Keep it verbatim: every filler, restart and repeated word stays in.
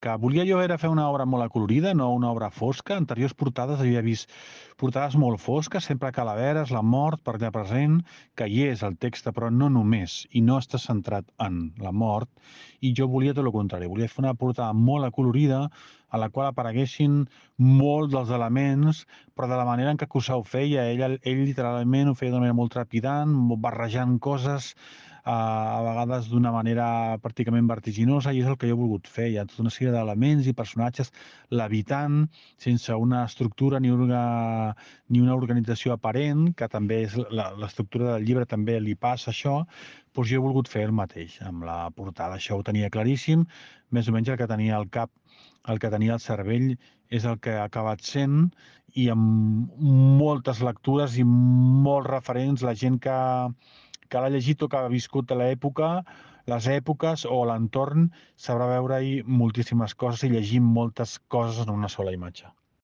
que volia jo era fer una obra molt acolorida, no una obra fosca. Anteriors portades havia vist portades molt fosques, sempre calaveres, la mort per allà present, que hi és el text, però no només, i no està centrat en la mort, i jo volia tot el contrari, volia fer una portada molt acolorida, a la qual apareguessin molts dels elements, però de la manera en què Cussà ho feia. Ell, ell literalment ho feia d'una manera molt trepidant, barrejant coses, a vegades d'una manera pràcticament vertiginosa, i és el que jo he volgut fer. Hi ha tota una sèrie d'elements i personatges levitant, sense una estructura ni una, ni una organització aparent, que també és la- l'estructura del llibre també li passa això. Doncs jo he volgut fer el mateix amb la portada. Això ho tenia claríssim, més o menys el que tenia al cap, el que tenia al cervell és el que ha acabat sent, i amb moltes lectures i molts referents, la gent que, que l'ha llegit o que ha viscut l'època, les èpoques o l'entorn, sabrà veure-hi moltíssimes coses i llegir moltes coses en una sola imatge.